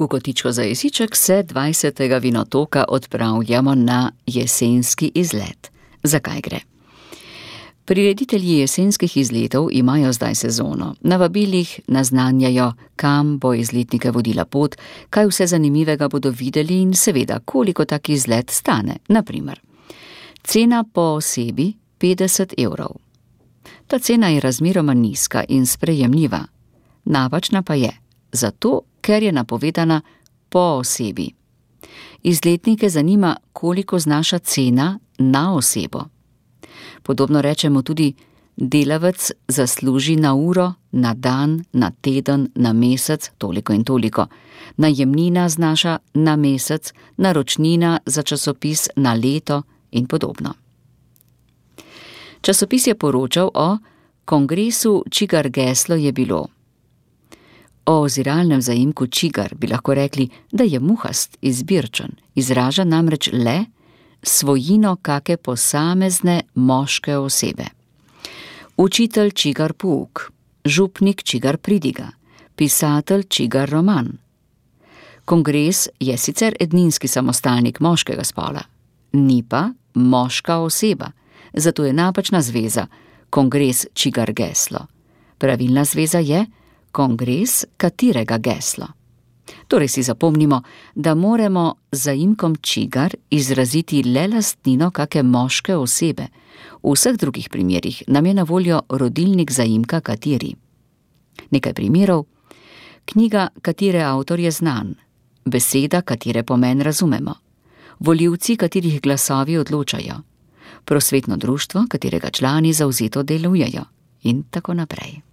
V kotičko za jesiček se 20. vinotoka odpravljamo na jesenski izlet. Zakaj gre? Prireditelji jesenskih izletov imajo zdaj sezono. Na vabilih naznanjajo, kam bo izletnike vodila pot, kaj vse zanimivega bodo videli in seveda, koliko tak izlet stane. Naprimer, cena po osebi 50 evrov. Ta cena je razmeroma nizka in sprejemljiva. Napačna pa je, zato ker je napovedana po osebi. Izletnike zanima, koliko znaša cena na osebo. Podobno rečemo tudi, delavec zasluži na uro, na dan, na teden, na mesec, toliko in toliko. Najemnina znaša na mesec, naročnina za časopis na leto in podobno. Časopis je poročal o kongresu, čigar geslo je bilo. O oziralnem zaimku čigar bi lahko rekli, da je muhast, izbirčen, izraža namreč le svojino kake posamezne moške osebe. Učitelj čigar pouk, župnik čigar pridiga, pisatelj čigar roman. Kongres je sicer edninski samostalnik moškega spola, ni pa moška oseba, zato je napačna zveza kongres čigar geslo. Pravilna zveza je kongres katerega geslo. Torej si zapomnimo, da moramo zaimkom čigar izraziti le lastnino kake moške osebe. V vseh drugih primerih nam je na voljo rodilnik zaimka kateri. Nekaj primerov. Knjiga, katere avtor je znan. Beseda, katere pomen razumemo. Volivci, katerih glasovi odločajo. Prosvetno društvo, katerega člani zavzeto delujejo. In tako naprej.